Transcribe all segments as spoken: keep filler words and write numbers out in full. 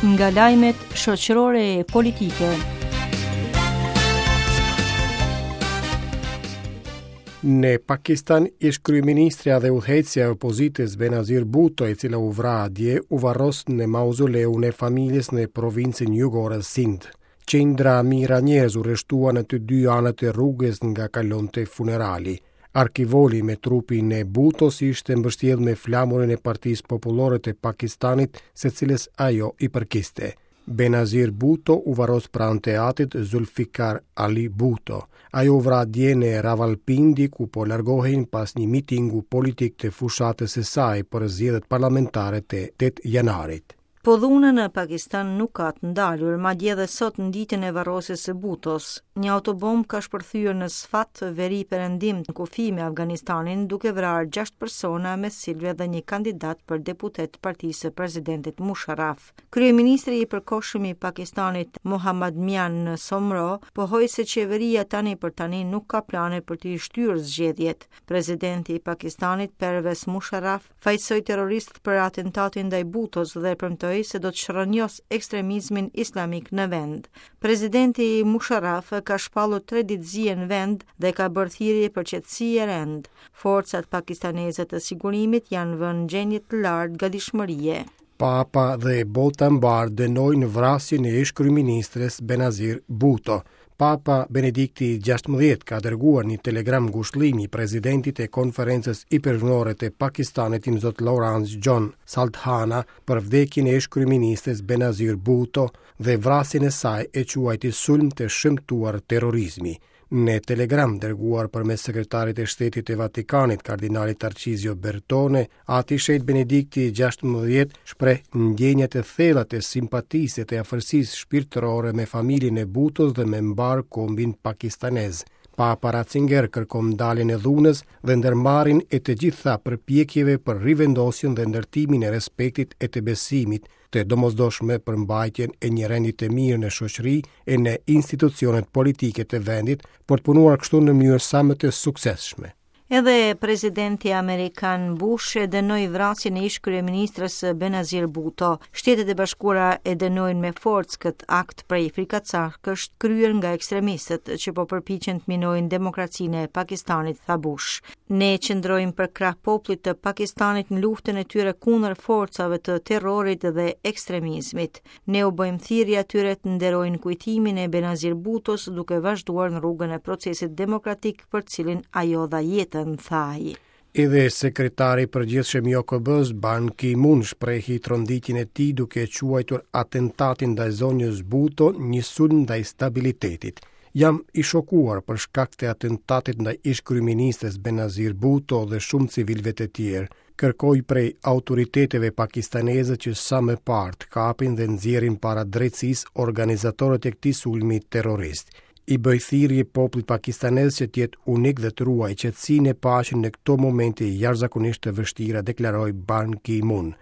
Nga lajmet shoqërore e politike. Në Pakistan, ish kryeministrja dhe udhëheqësja e opozitës Benazir Bhutto, e cila u vra dje, u varros në mauzoleun e familjes në provincën jugore Sindh. Qindra mijëra njerëz u rreshtuan në të dy anët e rrugës nga kalonte funerali. Arkivoli me trupin e Bhuttos ishte mbështjellë me flamurin e Partisë Popullore të Pakistanit, së cilës ajo i përkiste. Benazir Bhutto u varros pranë të atit Zulfikar Ali Bhutto. Ajo u vra dje në Rawalpindi, ku po largohej pas një mitingu politik të fushatës së saj për zgjedhjet parlamentare të tetë janarit. Po dhuna në Pakistan nuk ka të ndalur, madje edhe sot në ditën e varrosjes së Bhuttos. Një autobomb ka shpërthyer në Sfat, veri perëndim në kufi me Afganistanin, duke vrarë gjashtë persona, mes cilëve dhe një kandidat për deputet të partisë së presidentit Musharraf. Kryeministri i përkohshëm i Pakistanit, Mohammad Mian Somro, pohoi se qeveria tani për tani nuk ka plane për të shtyrë zgjedhjet. Presidenti i Pakistanit, Pervez Musharraf, fajësoi terroristët për atentatin ndaj Bhuttos dhe premtoi se do të shrënjos ekstremizmin islamik në vend. Presidenti Musharraf ka shpallur tre ditë zie në vend dhe ka bërë thirrje për qetësi e rend. Forcat pakistaneze të sigurimit janë vënë në gjendje të lartë gatishmërie. Papa dhe bota mbar dënojnë vrasjen e ish kryeministres Benazir Bhutto. Papa Benedikti gjashtëmbëdhjetë ka dërguar një telegram ngushëllimi presidentit e konferencës ipërvnore të Pakistanit, Imzot Lawrence John Saldanha, për vdekjen e ish kryeministres Benazir Bhutto dhe vrasjen e saj e quajti sulm të shëmtuar terrorizmi. Në telegram dërguar përmes sekretarit e shtetit të Vatikanit, kardinalit Tarcizio Bertone, ati Shejt Benedikti gjashtëmbëdhjetë shpreh ndjenjat e thella të simpatisë e të afërsisë shpirtërore me familjen e Bhuttos dhe me mbar kombin pakistanez. Papa Ratzinger kërkon ndaljen e dhunës dhe ndërmarrjen e të gjitha përpjekjeve për rivendosjen dhe ndërtimin e respektit e të besimit të domosdoshme për mbajtjen e një rendi të mirë në shoqëri e në institucionet politike të vendit, për të punuar kështu në mënyrë sa më të suksesshme. Edhe presidenti amerikan Bush e dënoi vrasjen e ish kryeministrës Benazir Bhutto. Shtetet e Bashkuara e dënojnë me forcë këtë akt prej frikacakësh kryer nga ekstremistët që po përpiqen të minojnë demokracinë e Pakistanit, tha Bush. Ne qëndrojmë përkrah popullit të Pakistanit në luftën e tyre kundër forcave të terrorit dhe ekstremizmit. Ne u bëjmë thirrje atyre të nderojnë kujtimin e Benazir Bhuttos duke vazhduar në rrugën e procesit demokratik për cilin ajo dha jetën, tha ai. Edhe sekretari i përgjithshëm i O K B-s, Ban Ki-moon, shprehi tronditjen e tij duke e quajtur atentatin ndaj zonjës Bhutto një sulm ndaj stabilitetit. Jam i shokuar për shkak të atentatit ndaj ish kryeministres Benazir Bhutto dhe shumë civilëve të tjerë. Kërkoj prej autoriteteve pakistaneze që sa më parë të kapin dhe nxjerrin para drejtësisë organizatorët e këtij sulmi terrorist. I bëj thirrje popullit pakistanez që të jetë unik dhe të ruajë qetësinë e paqen në këto momente jashtëzakonisht të vështira, deklaroi Ban Ki-moon.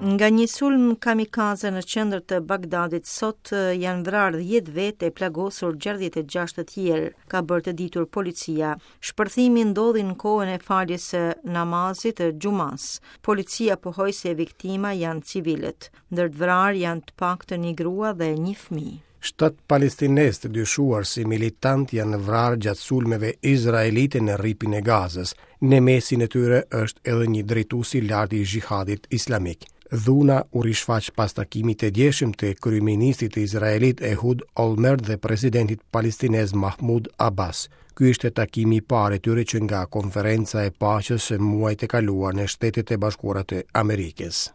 Nga një sulm kamikaze në qendër të Bagdadit sot janë vrarë dhjetë vetë e plagosur gjashtëdhjetë e gjashtë të tjerë, ka bërë të ditur policia. Shpërthimi ndodhi në kohën e faljes së namazit të xhumas. Policia pohoi se viktima janë civilët. Ndër të vrarë janë të paktën një grua dhe një fëmijë. Shtat palestinez të dyshuar si militant janë vrarë gjatë sulmeve izraelite në rripin e Gazës. Në mesin e tyre është edhe një drejtues i lartë i xhihadit islamik. Dhuna u rishfaq pas takimit të djeshëm të kryeministrit të Izraelit Ehud Olmert dhe presidentit palestinez Mahmoud Abbas. Ky ishte takimi i parë i tyre që nga konferenca e paqes së muajit të kaluar në Shtetet e Bashkuara të Amerikës.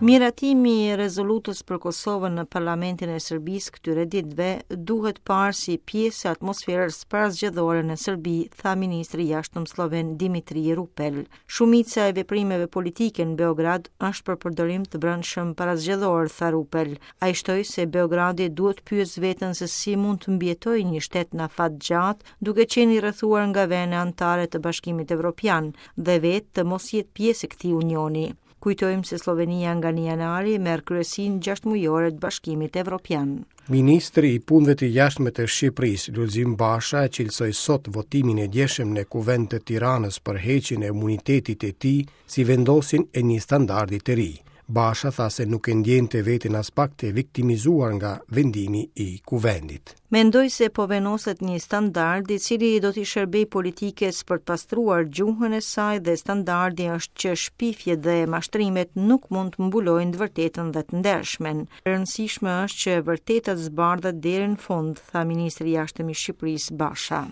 Miratimi i rezolutës për Kosovën në Parlamentin e Serbisë këtyre ditëve duhet parë si pjesë e atmosferës parazgjedhore në Serbi, tha ministri i Jashtëm sloven Dimitri Rupel. Shumica e veprimeve politike në Beograd është për përdorim të brendshëm parazgjedhor, tha Rupel. Ai shtoi se Beogradi duhet pyesë veten se si mund të mbijetojë një shtet në afat gjatë, duke qenë i rrethuar nga vende anëtare të Bashkimit Evropian dhe vetë të mos jetë pjesë e këtij unioni. Kujtojmë se Slovenia nga një janari merr kryesinë gjashtëmujore të Bashkimit Evropian. Ministri i Punëve të Jashtme të Shqipërisë, Lulzim Basha, e cilësoi sot votimin e djeshëm në Kuvend të Tiranës për heqjen e imunitetit të tij si vendosjen e një standardi të ri. Basha tha se nuk e ndjente veten aspak të viktimizuar nga vendimi i kuvendit. Mendoj se po vendoset një standard i cili do t'i shërbej politikës për të pastruar gjuhën e saj dhe standardi është që shpifjet dhe mashtrimet nuk mund të mbulojnë të vërtetën dhe të ndershmen. E rëndësishme është që e vërteta të zbardhet deri në fund, tha ministri i Jashtëm i Shqipërisë Basha.